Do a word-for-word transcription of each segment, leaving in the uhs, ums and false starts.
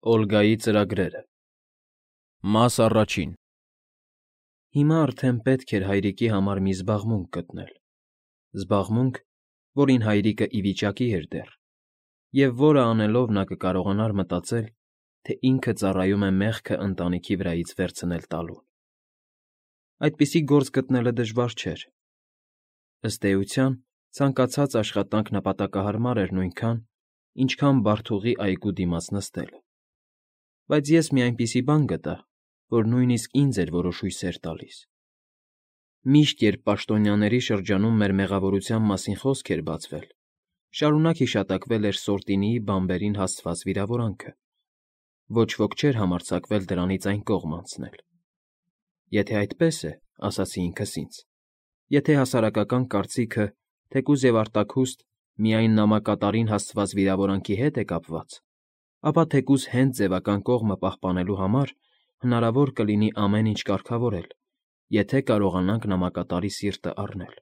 Օլգայի ծրագրերը Մաս առաջին Հիմա արդեն պետք էր հայրիկի համար մի զբաղմունք գտնել, զբաղմունք, որին հայրիկը ի վիճակի էր դեռ, և որը անելով նա կկարողանար մտածել, թե ինքը ծառայում է մեղքը ընտանիքի վրայից վերցնել տալուն։ Այդպիսի գործ գտնելը դժվար չէր։ Ըստ էության, ցանկացած աշխատանք նպատակահարմար էր նույնքան, ինչքան Բարթուղի այգու դիմաց նստելը։ Բայց ես մի այնպիսի բան գտա, որ նույնիսկ ինձ էր որոշ հույսեր տալիս։ Միշտ, երբ պաշտոնյաների շրջանում մեր մեղավորության մասին խոսք էր բացվել, շարունակ հիշատակվել էր Սորտինիի բանբերին հասցված վիրավորանքը։ Ոչ ոք չէր համարձակվել դրանից այն կողմ անցնել։ Եթե այդպես է, ասացի ինքս ինձ, եթե հասարակական կարծիքը, թեկուզ և արտաքուստ, միայն նամակատարին հասցված վիրավորանքի հետ է կապված, ապա թեկուզ հենց ձևական կողմը պահպանելու համար հնարավոր կլինի ամեն ինչ կարգավորել, եթե կարողանանք նամակատարի սիրտը առնել։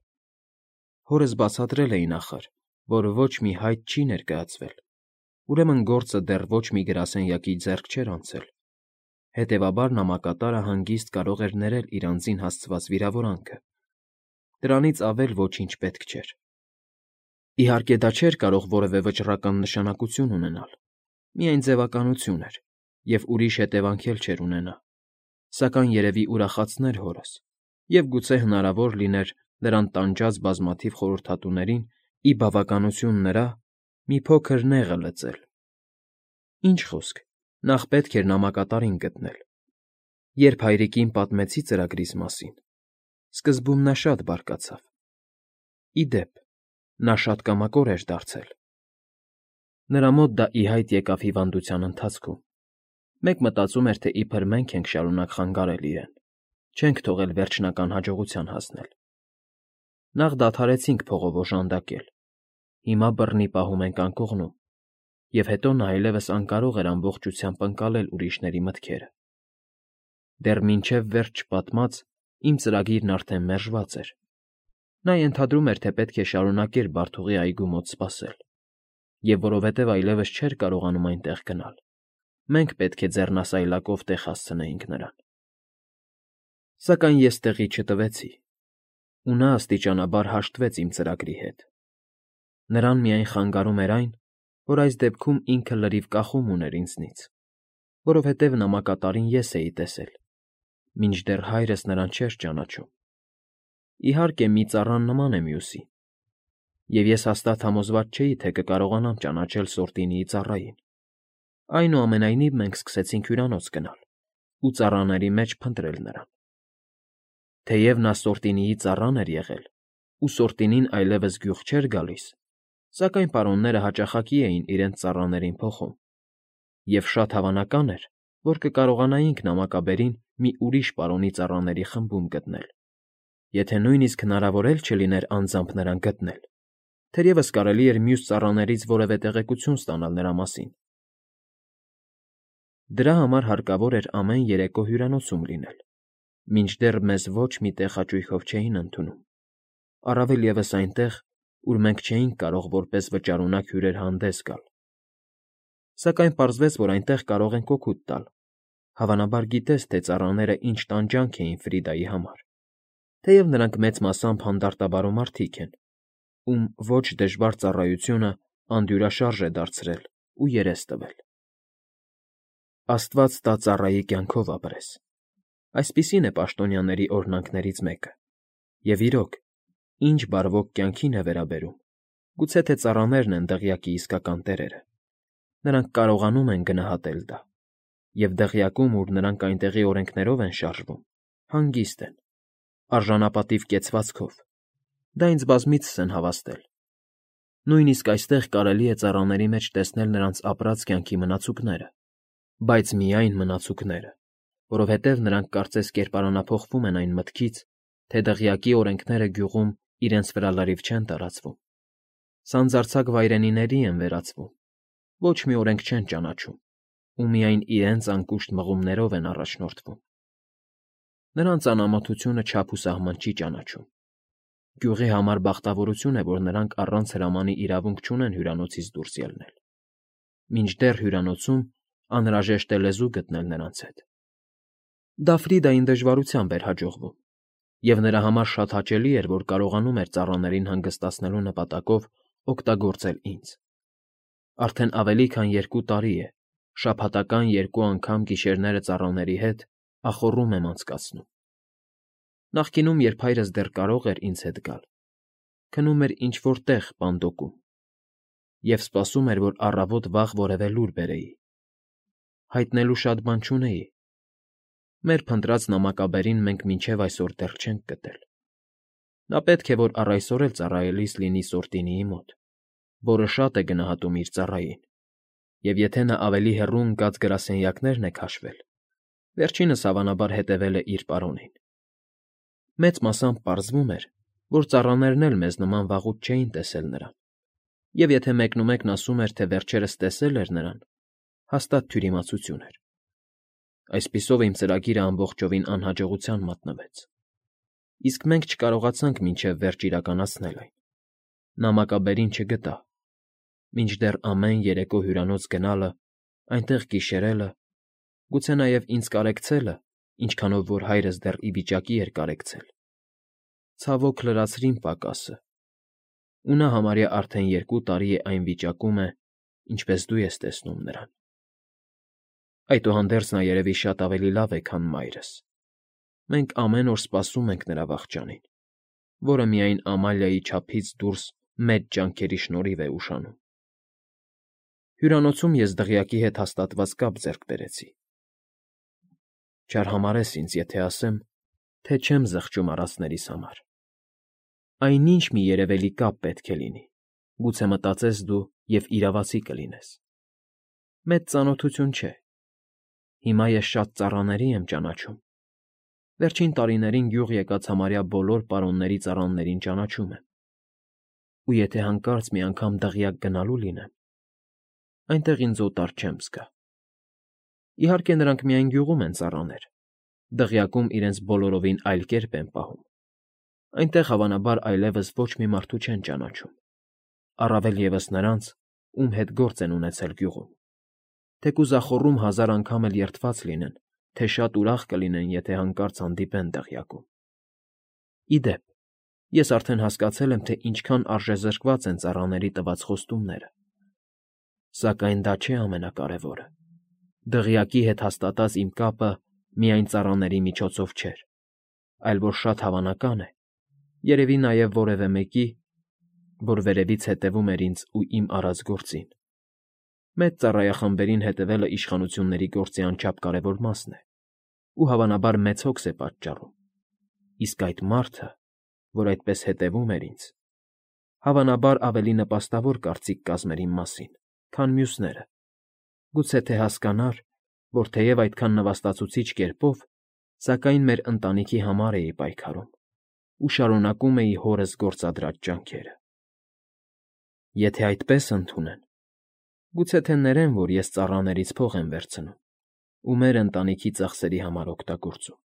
Հորս բացատրել էի նախր, որ ոչ մի հայտ չի ներկայացվել, ուրեմն գործը դեռ ոչ մի գրասենյակի ձեռք չէր անցել, հետևաբար նամակատարը հանգիստ կարող էր ներել իր անձին հասցված վիրավորանքը։ Դրանից ավել ոչինչ պետք չէր։ Իհարկե դա չէր կարող որևէ վճռական նշանակություն ունենալ, միայն ձևականություն էր, և ուրիշ հետևանք էլ չէր ունենա, սակայն երևի ուրախացներ հորս, և գուցե հնարավոր լիներ նրան տանջած բազմաթիվ խորհրդատուներին, ի բավականություն նրա, մի փոքր նեղը լծել։ Ինչ խոսք, նախ պետք էր նամակատարին գտնել։ Երբ հայրիկին պատմեցի ծրագրիս մասին, սկզբում նա շատ բարկացավ։ Ի դեպ, նա շատ կամակոր էր դարձել։ Նրա մոտ դա ի հայտ եկավ հիվանդության ընթացքում։ Մեկ մտածում էր, թե իբր մենք ենք շարունակ խանգարել իրեն, չենք թողել վերջնական հաջողության հասնել։ Նախ դադարեցինք փողով օժանդակել, հիմա բռնի պահում ենք անկողնում, և հետո նա այլևս անկարող էր ամբողջությամբ ընկալել ուրիշների մտքերը։ Դեռ մինչև վերջ չպատմած, իմ ծրագիրն արդեն մերժված էր։ Նա ենթադրում էր, թե պետք է շարունակեր Բարթուղի այգու մոտ սպասել, և որովհետև այլևս չէր կարողանում այնտեղ գնալ, մենք պետք է ձեռնասայլակով տեղ հասցնեինք նրան։ Սակայն ես տեղի չտվեցի, ու նա աստիճանաբար հաշտվեց իմ ծրագրի հետ։ Նրան միայն խանգարում էր այն, որ այս դեպքում ինքը լրիվ կախում ուներ ինձնից, որովհետև նամակատարին ես էի տեսել, մինչդեռ հայրս նրան չէր ճանաչում։ Իհարկե, մի ծառան նման է մյուսի, և ես հաստատ համոզված չէի, թե կկարողանամ ճանաչել Սորտինիի ծառային։ Այնուամենայնիվ մենք սկսեցինք հյուրանոց գնալ ու ծառաների մեջ փնտրել նրան։ Թեև նա Սորտինիի ծառան էր եղել, ու Սորտինին այլևս գյուղ չէր գալիս, սակայն պարոնները հաճախակի էին իրենց ծառաներին փոխում, և շատ հավանական էր, որ կկարողանայինք նամակաբերին մի ուրիշ պարոնի ծառաների խմբում գտնել, եթե նույնիսկ հնարավոր էլ չլիներ անձամբ նրան գտնել, թերևս կարելի էր մյուս ծառաներից որևէ տեղեկություն ստանալ նրա մասին։ Դրա համար հարկավոր էր ամեն երեկո հյուրանոցում լինել, մինչդեռ մեզ ոչ մի տեղ հաճույքով չէին ընդունում, առավել ևս այնտեղ, ուր մենք չէինք կարող որպես վճարունակ հյուրեր հանդես գալ։ Սակայն պարզվեց, որ այնտեղ կարող ենք օգուտ տալ, հավանաբար գիտես, թե ծառաները ինչ տանջանք էին Ֆրիդայի համար, թեև նրանք մեծ մասամբ հանդարտաբարո մարդիկ են, ում ոչ դժվար ծառայությունը անդյուրաշարժ է դարձրել ու երես տվել։ Աստված տա ծառայի կյանքով ապրես, այսպիսին է պաշտոնյաների օրհնանքներից մեկը, և իրոք, ինչ բարվոք կյանքին է վերաբերում, գուցե թե ծառաներն են դղյակի իսկական տերերը։ Նրանք կարողանում են գնահատել դա, և դղյակում, ուր նրանք այնտեղի օրենքներով են շարժվում, հանգիստ են, արժանապատիվ կեցվածքով, դա ինձ բազմիցս են հավաստել։ Նույնիսկ այստեղ կարելի է ծառաների մեջ տեսնել նրանց ապրած կյանքի մնացուկները, բայց միայն մնացուկները, որովհետև նրանք կարծես կերպարանափոխվում են այն մտքից, թե դղյակի օրենքները գյուղում իրենց վրա լրիվ չեն տարածվում, սանձարձակ վայրենիների են վերածվում, ոչ մի օրենք չեն ճանաչում ու միայն իրենց անկուշտ մղումներով են առաջնորդվում։ Նրանց անամոթությունը չափ ու սահման չի ճանաչում։ Գյուղի համար բախտավորություն է, որ նրանք առանց հրամանի իրավունք չունեն հյուրանոցից դուրս ելնել։ Մինչդեռ հյուրանոցում անհրաժեշտ է լեզու գտնել նրանց հետ։ Դա Ֆրիդային դժվարությամբ էր հաջողվում, և նրա համար շատ հաճելի էր, որ կարողանում էր ծառաներին հանգստացնելու նպատակով օգտագործել ինձ։ Արդեն ավելի քան երկու տարի է, շաբաթական երկու անգամ գիշերները ծառաների հետ ախոռում եմ անցկացնում։ Նախկինում, երբ հայրս դեռ կարող էր ինձ հետ գալ, քնում էր ինչ֊որ տեղ պանդոկում և սպասում էր, որ առավոտ վաղ որևէ լուր բերեի։ Հայտնելու շատ բան չունեի։ Մեր փնտրած նամակաբերին մենք մինչև այսօր դեռ չենք գտել։ Նա պետք է որ առ այսօր էլ ծառայելիս լինի Սորտինիի մոտ, որը շատ է գնահատում իր ծառային, և եթե նա ավելի հեռու ընկած գրասենյակներն է քաշվել, վերջինս հավանաբար հետևել է իր պարոնին։ Մեծ մասամբ պարզվում էր, որ ծառաներն էլ մեզ նման վաղուց չէին տեսել նրան, և եթե մեկնումեկն ասում էր, թե վերջերս տեսել էր նրան, հաստատ թյուրիմացություն էր։ Այսպիսով իմ ծրագիրը ամբողջովին անհաջողության մատնվեց, իսկ մենք չկարողացանք մինչև վերջ իրականացնել այն։ Նամակաբերին չգտա, մինչդեռ ամեն երեկո հյուրանոց գնալը, այնտեղ գիշերելը, գուցե նաև ինձ կարեկցելը, ինչքանով որ հայրս դեռ ի վիճակի էր կարեկցել, ցավոք լրացրին պակասը, ու նա համարյա արդեն երկու տարի է այն վիճակում է, ինչպես դու ես տեսնում նրան։ Այդուհանդերձ նա երևի շատ ավելի լավ է, քան մայրս։ Մենք ամեն օր սպասում ենք նրա վախճանին, որը միայն Ամալիայի չափից դուրս մեծ ջանքերի շնորհիվ է ուշանում։ Հյուրանոցում ես դղյակի հետ հաստատված կապ ձեռք բերեցի։ Չարհամարհես ինձ, եթե ասեմ, թե չեմ զղջում առածներիս համար։ Այնինչ մի երևելի կապ պետք է լինի, գուցե մտածես դու և իրավացի կլինես։ Մեծ ծանոթություն չէ։ Հիմա ես շատ ծառաների եմ ճանաչում։ Վերջին տարիներին գյուղ եկած համարյա բոլոր պարոնների ծառաներին ճանաչում եմ։ Ու եթե հանկարծ մի անգամ դղյակ գնալու լինեմ, այնտեղ ինձ օտար չեմ զգա։ Իհարկե, նրանք միայն գյուղում են ծառաներ, դղյակում իրենց բոլորովին այլ կերպ են պահում։ Այնտեղ, հավանաբար, այլևս ոչ մի մարդու չեն ճանաչում, առավել ևս նրանց, ում հետ գործ են ունեցել գյուղում, թեկուզ ախոռում հազար անգամ էլ երդված լինեն, թե շատ ուրախ կլինեն, եթե հանկարծ հանդիպեն դղյակում։ Ի դեպ, ես արդեն հասկացել եմ, թե ինչքան արժեզրկված են ծառաների տված խոստումները։ Սակայն դա չէ ամենակարևորը։ Դղյակի հետ հաստատած իմ կապը միայն ծառաների միջոցով չէր, այլ որ շատ հավանական է, երևի նաև որևէ մեկի, որ վերևից հետևում էր ինձ ու իմ արած գործին։ Մեծ ծառայախմբերին հետևելը իշխանությունների գործի անչափ կարևոր մասն է, ու հավանաբար մեծ հոգս է պատճառում, իսկ այդ մարդը, որ այդպես հետևում էր ինձ, հավանաբար ավելի նպաստավոր կարծիք կազմեր իմ մասին, քան մյուսները, գուցե թե հասկանար, որ թեև այդքան նվաստացուցիչ կերպով, սակայն մեր ընտանիքի համար էի պայքարում ու շարունակում էի հորս գործադրած ջանքերը։ Եթե այդպես ընդունեն, գուցե թե ներեն, որ ես ծառաներից փող եմ վերցնում ու մեր ընտանիքի ծախսերի համար օգտագործում։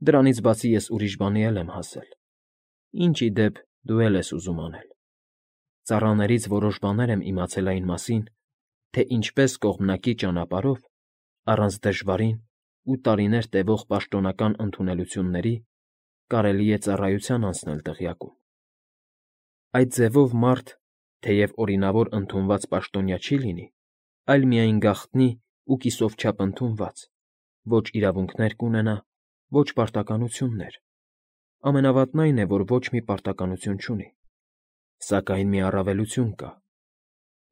Դրանից բացի ես ուրիշ բանի էլ եմ հասել, ինչ, ի դեպ, դու էլ ես ուզում անել։ Ծառաներից որոշ բաներ եմ իմացել այն մասին, թե ինչպես կողմնակի ճանապարհով, առանց դժվարին ու տարիներ տևող պաշտոնական ընդունելությունների կարելի է ծառայության անցնել դղյակում։ Այդ ձևով մարդ, թեև օրինավոր ընդունված պաշտոնյա չի լինի, այլ միայն գաղտնի ու կիսով չափ ընդունված, ոչ իրավունքներ կունենա, ոչ պարտականություններ։ Ամենավատն այն է, որ ոչ մի պարտականություն չունի, սակայն մի առավելություն կա,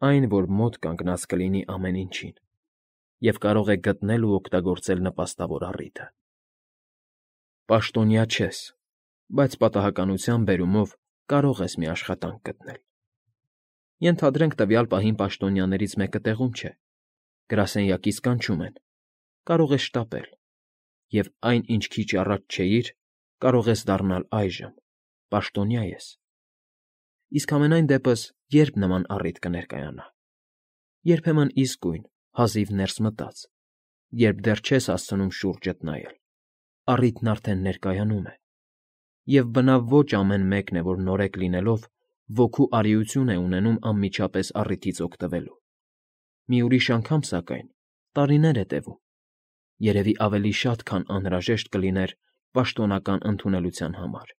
այն, որ մոտ կանգնած կլինի ամեն ինչին և կարող է գտնել ու օգտագործել նպաստավոր առիթը։ Պաշտոնյա չես, բայց պատահականության բերումով կարող ես մի աշխատանք գտնել։ Ենթադրենք տվյալ պահին պաշտոնյաներից մեկը տեղում չէ, գրասենյակից կանչում են, կարող ես շտապել, և այն, ինչ քիչ առաջ չէիր, կարող ես դառնալ այժմ, պաշտոնյա ես։ Իսկ համենայն դեպս ե՞րբ նման առիթ կներկայանա։ Երբեմն իսկույն, հազիվ ներս մտած, երբ դեռ չես հասցնում շուրջդ նայել, առիթն արդեն ներկայանում է, և բնավ ոչ ամեն մեկն է, որ նորեկ լինելով, ոգու արիություն է ունենում անմիջապես առիթից օգտվելու։ Մի ուրիշ անգամ, սակայն, տարիներ է տևում, երևի ավելի շատ, քան անհրաժեշտ կլիներ պաշտոնական ընդունելության համար,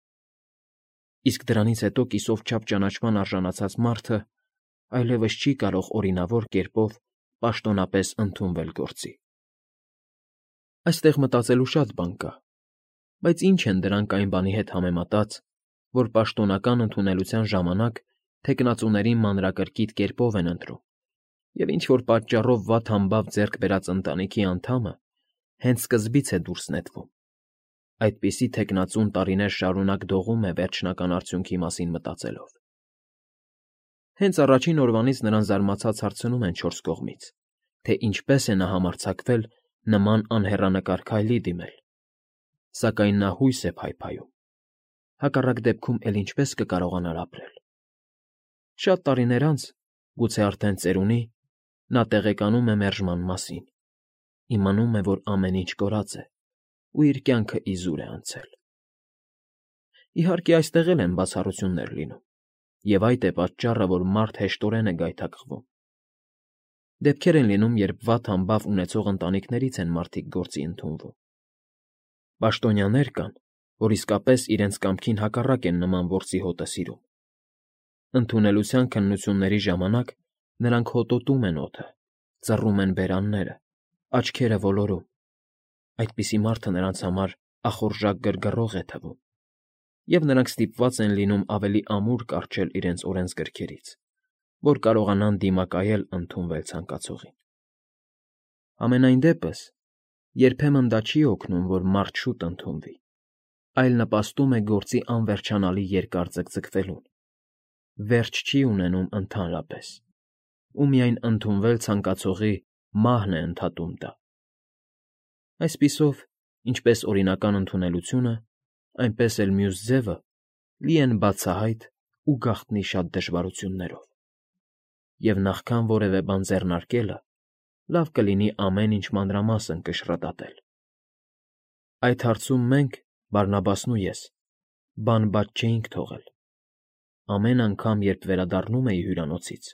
իսկ դրանից հետո կիսով չափ ճանաչման արժանացած մարդը այլևս չի կարող օրինավոր կերպով պաշտոնապես ընդունվել գործի։ Այստեղ մտածելու շատ բան կա, բայց ինչ են դրանք այն բանի հետ համեմատած, որ պաշտոնական ընդունելության ժամանակ թեկնածուներին մանրակրկիտ կերպով են ընտրում, և ինչ-որ պատճառով վատ֊համբավ ձեռք բերած ընտանիքի անդամը հենց սկզբից է դուրս նետվում, այդպիսի թեկնածուն տարիներ շարունակ դողում է վերջնական արդյունքի մասին մտածելով։ Հենց առաջին օրվանից նրան զարմացած հարցնում են չորս կողմից, թե ինչպես է նա համարձակվել նման անհեռանկար քայլի դիմել, սակայն նա հույս է փայփայում, հակառակ դեպքում էլ ինչպե՞ս կկարողանար ապրել։ Շատ տարիներ անց, գուցե արդեն ծերունի, նա տեղեկանում է մերժման մասին, իմանում է, որ ամեն ինչ կորած է ու իր կյանքը իզուր է անցել։ Իհարկե, այստեղ էլ են բացառություններ լինում, և այդ է պատճառը, որ մարդ հեշտորեն է գայթակղվում։ Դեպքեր են լինում, երբ վատ֊համբավ ունեցող ընտանիքներից են մարդիկ գործի ընդունվում։ Պաշտոնյաներ կան, որ իսկապես իրենց կամքին հակառակ են նման որսի հոտը սիրում։ Ընդունելության քննությունների ժամանակ նրանք հոտոտում են օդը, ծռում են բերանները, աչքերը ոլորում։ Այդպիսի մարդը նրանց համար ախորժակ գրգռող է թվում, և նրանք ստիպված են լինում ավելի ամուր կառչել իրենց օրենսգրքերից, որ կարողանան դիմակայել ընդունվել ցանկացողին։ Համենայն դեպս, երբեմն դա չի օգնում, որ մարդ շուտ ընդունվի, այլ նպաստում է գործի անվերջանալի երկար ձգձգվելուն, վերջ չի ունենում ընդհանրապես, ու միայն ընդունվել ցանկացողի մահն է ընդհատում դա։ Այսպիսով, ինչպես օրինական ընդունելությունը, այնպես էլ մյուս ձևը լի են բացահայտ ու գաղտնի շատ դժվարություններով, և նախքան որևէ բան ձեռնարկելը, լավ կլինի ամեն ինչ մանրամասն կշռադատել։ Այդ հարցում մենք, Բարնաբասն ու ես, բան բաց չէինք թողել։ Ամեն անգամ, երբ վերադառնում էի հյուրանոցից,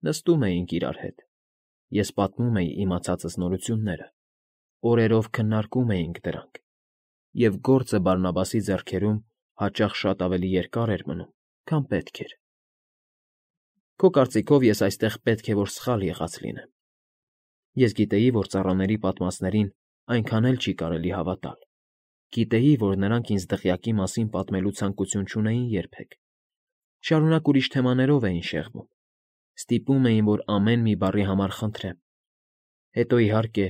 նստում էինք իրար հետ, ես պատմում էի իմացածս նորությունները, օրերով քննարկում էինք դրանք, և գործը Բարնաբասի ձեռքերում հաճախ շատ ավելի երկար էր մնում, քան պետք էր։ Քո կարծիքով ես այստեղ պետք է որ սխալ եղած լինեմ։ Ես գիտեի, որ ծառաների պատմածներին այնքան էլ չի կարելի հավատալ, գիտեի, որ նրանք ինձ դղյակի մասին պատմելու ցանկություն չունեին երբեք, շարունակ ուրիշ թեմաներով էին շեղվում, ստիպում էին, որ ամեն մի բառի համար խնդրեմ, հետո, իհարկե,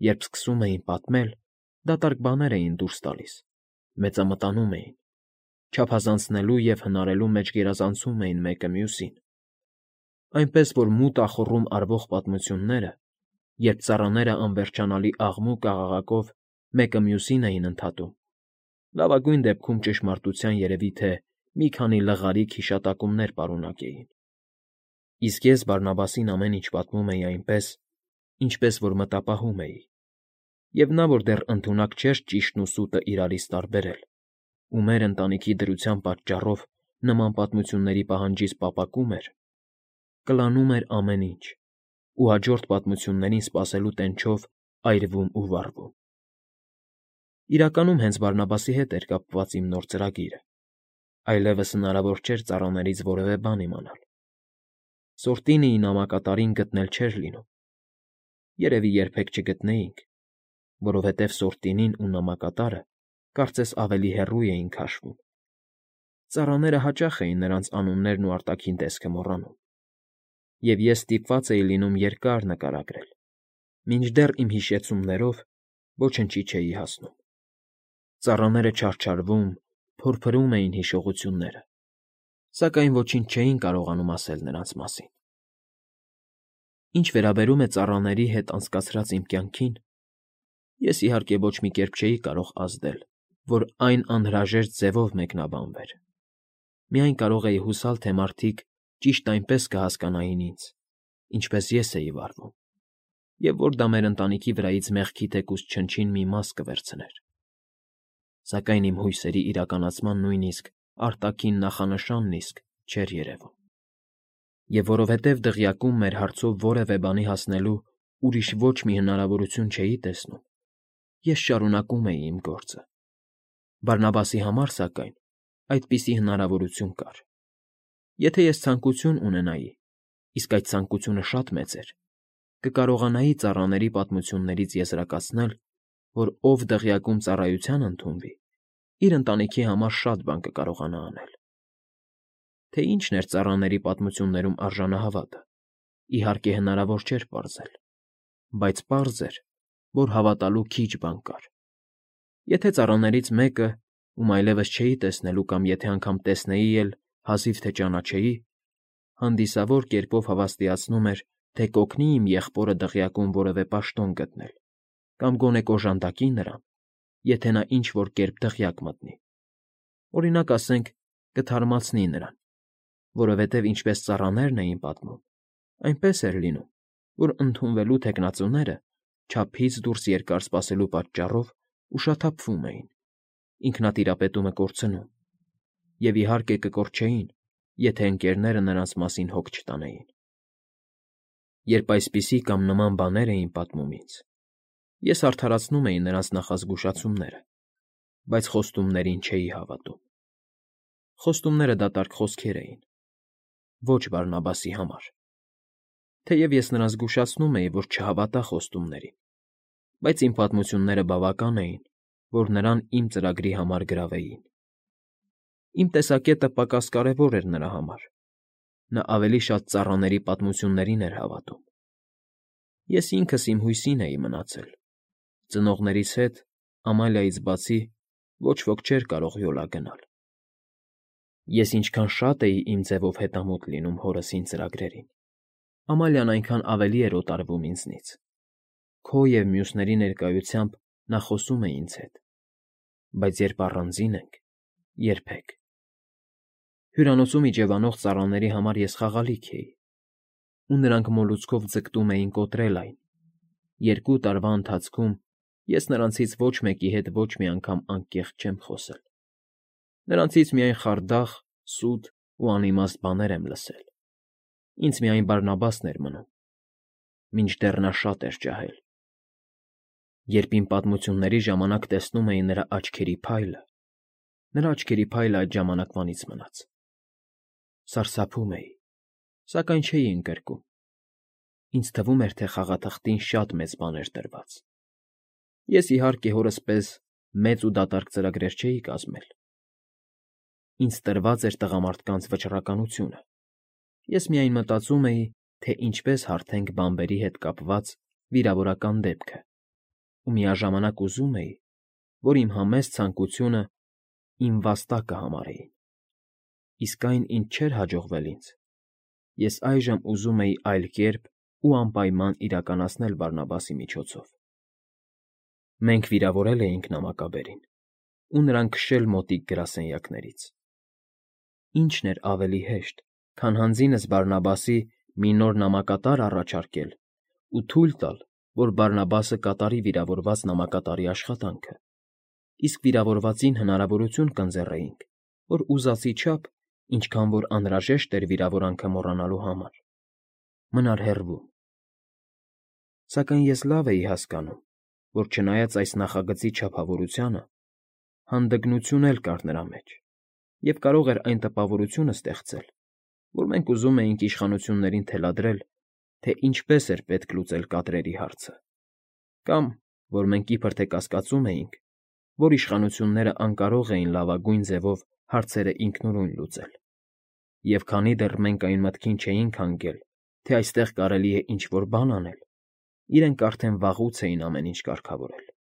երբ սկսում էին պատմել, դատարկ բաներ էին դուրս տալիս, մեծամտանում էին, չափազանցնելու և հնարելու մեջ գերազանցում էին մեկը մյուսին, այնպես որ մութ ախոռում արվող պատմությունները, երբ ծառաները անվերջանալի աղմուկ֊աղաղակով մեկը մյուսին էին ընդհատում, լավագույն դեպքում ճշմարտության երևի թե մի քանի լղարիկ հիշատակումներ պարունակեին։ Իսկ ես Բարնաբասին ամեն ինչ պատմում էի այնպես, ինչպես որ մտապահում էի, և նա, որ դեռ ընդունակ չէր ճիշտն ու սուտը իրարից տարբերել, ու մեր ընտանիքի դրության պատճառով նման պատմությունների պահանջից պապակում էր, կլանում էր ամեն ինչ ու հաջորդ պատմություններին սպասելու տենչով այրվում ու վառվում։ Իրականում հենց Բարնաբասի հետ էր կապված իմ նոր ծրագիրը, այլևս հնարավոր չէր ծառաներից որևէ բան իմանալ։ Սորտինիի նամակատարին գտնել չէր լինում։ Երևի երբեք չգտնեինք, որովհետև Սորտինին ու նամակատարը կարծես ավելի հեռու էին քաշվում։ Ծառաները հաճախ էին նրանց անուններն ու արտաքին տեսքը մոռանում, և ես ստիպված էի լինում երկար նկարագրել, մինչդեռ իմ հիշեցումներով ոչնչի չէի հասնում։ Ծառաները չարչարվում, փորփրում էին հիշողությունները, սակայն ոչինչ չէին կարողանում ասել նրանց մասին։ Ինչ վերաբերում է ծառաների հետ անցկացրած իմ կյանքին, ես, իհարկե, ոչ մի կերպ չէի կարող ազդել, որ այն անհրաժեշտ ձևով մեկնաբանվեր։ Միայն կարող էի հուսալ, թե մարդիկ ճիշտ այնպես կհասկանային ինձ, ինչպես ես էի վարվում, և որ դա մեր ընտանիքի վրայից մեղքի թեկուզ չնչին մի մաս կվերցներ։ Սակայն իմ հույսերի իրականացման նույնիսկ արտաքին նախանշանն իսկ չէր երևում։ Եվ որովհետև դղյակում մեր հարցով որևէ բանի հասնելու ուրիշ ոչ մի հնարավորություն չէի տեսնում, ես շարունակում էի իմ գործը։ Բարնաբասի համար, սակայն, այդպիսի հնարավորություն կար։ Եթե ես ցանկություն ունենայի, իսկ այդ ցանկությունը շատ մեծ էր, կկարողանայի ծառաների պատմություններից եզրակացնել, որ ով դղյակում ծառայության ընդունվի, իր ընտանիքի համար շատ բան կկարողանա անել։ Թե ինչն էր ծառաների պատմություններում արժանահավատը, իհարկե հնարավոր չէր պարզել, բայց պարզ էր, որ հավատալու քիչ բան կար։ Եթե ծառաներից մեկը, ում այլևս չէի տեսնելու կամ եթե անգամ տեսնեի էլ, հազիվ թե ճանաչեի, հանդիսավոր կերպով հավաստիացնում էր, թե կօգնի իմ եղբորը դղյակում որևէ պաշտոն գտնել կամ գոնե կոժանդակի նրան, եթե նա ինչ֊որ կերպ դղյակ մտնի։ Օրինակ ասենք, կթարմացնի նրան, որովհետև ինչպես ծառաներն էին պատմում, այնպես էր լինում, որ ընդունվելու թեկնածուները չափից դուրս երկար սպասելու պատճառով ուշաթափվում էին, ինքնատիրապետումը կորցնում, և, իհարկե, կկորչեին, եթե ընկերները նրանց մասին հոգ չտանեին։ Երբ այսպիսի կամ նման բաներ էին պատմում ինձ, ես արդարացնում էի նրանց նախազգուշացումները, բայց խոստումներին չէի հավատում։ Խոստումները դատարկ խոսքեր էին, ոչ Բարնաբասի համար։ Թեև ես նրան զգուշացնում էի, որ չհավատա խոստումներին, բայց իմ պատմությունները բավական էին, որ նրան իմ ծրագրի համար գրավեին։ Իմ տեսակետը պակաս կարևոր էր նրա համար. նա ավելի շատ ծառաների պատմություններին էր հավատում։ Ես ինքս իմ հույսին էի մնացել. ծնողներիս հետ, Ամալիայից բացի, ոչ ոք չէր կարող յոլա գնալ։ Ես ինչքան շատ էի իմ ձևով հետամուտ լինում հորս ինձ ծրագրերին, Ամալիան այնքան ավելի էր օտարվում ինձնից։ Քո և մյուսների ներկայությամբ նա խոսում է ինձ հետ, բայց երբ առանձին ենք, երբեք։ Հյուրանոցում իջևանող ծառաների համար ես խաղալիք էի, ու նրանք մոլուցքով ձգտում էին կոտրել այն։ Երկու տարվա ընթացքում ես նրանցից ոչ մեկի հետ ոչ մի անգամ անկեղծ չեմ խոսել։ Նրանցից միայն խարդախ, սուտ ու անիմաստ բաներ եմ լսել։ Ինձ միայն Բարնաբասն էր մնում, մինչդեռ նա շատ էր ջահել։ Երբ իմ պատմությունների ժամանակ տեսնում էի նրա աչքերի փայլը, նրա աչքերի փայլը այդ ժամանակվանից մնաց։ Սարսափում էի, սակայն չէի ընկրկում։ Ինձ թվում էր, թե խաղաթղթին շատ մեծ բան էր տրված։ Ես, իհարկե, հորս պես մեծ ու դատարկ ծրագրեր չէի կազմել։ Ինձ տրված էր տղամարդկանց վճռականությունը։ Ես միայն մտածում էի, թե ինչպես հարթենք բանբերի հետ կապված վիրավորական դեպքը, ու միաժամանակ ուզում էի, որ իմ համեստ ցանկությունը իմ վաստակը համարեին։ Իսկ այն, ինչ չէր հաջողվել ինձ, ես այժմ ուզում էի այլ կերպ ու անպայման իրականացնել Բարնաբասի միջոցով։ Մենք վիրավորել էինք նամակաբերին ու նրան քշել մոտիկ գրասենյակներից։ Ի՞նչն էր ավելի հեշտ, քան հանձինս Բարնաբասի մի նոր նամակատար առաջարկել ու թույլ տալ, որ Բարնաբասը կատարի վիրավորված նամակատարի աշխատանքը, իսկ վիրավորվածին հնարավորություն կընձեռեինք, որ ուզածի չափ, ինչքան որ անհրաժեշտ էր վիրավորանքը մոռանալու համար, մնար հեռվում։ Սակայն ես լավ էի հասկանում, որ չնայած այս նախագծի չափավորությանը, հանդգնություն էլ կար նրա մեջ, և կարող էր այն տպավորությունը ստեղծել, որ մենք ուզում էինք իշխանություններին թելադրել, թե ինչպես էր պետք լուծել կադրերի հարցը, կամ որ մենք իբր թե կասկածում էինք, որ իշխանություններն անկարող էին լավագույն ձևով հարցերը ինքնուրույն լուծել, և քանի դեռ մենք այն մտքին չէինք հանգել, թե այստեղ կարելի է ինչ֊որ բան անել, իրենք արդեն վաղուց էին ամեն ինչ կարգավորել։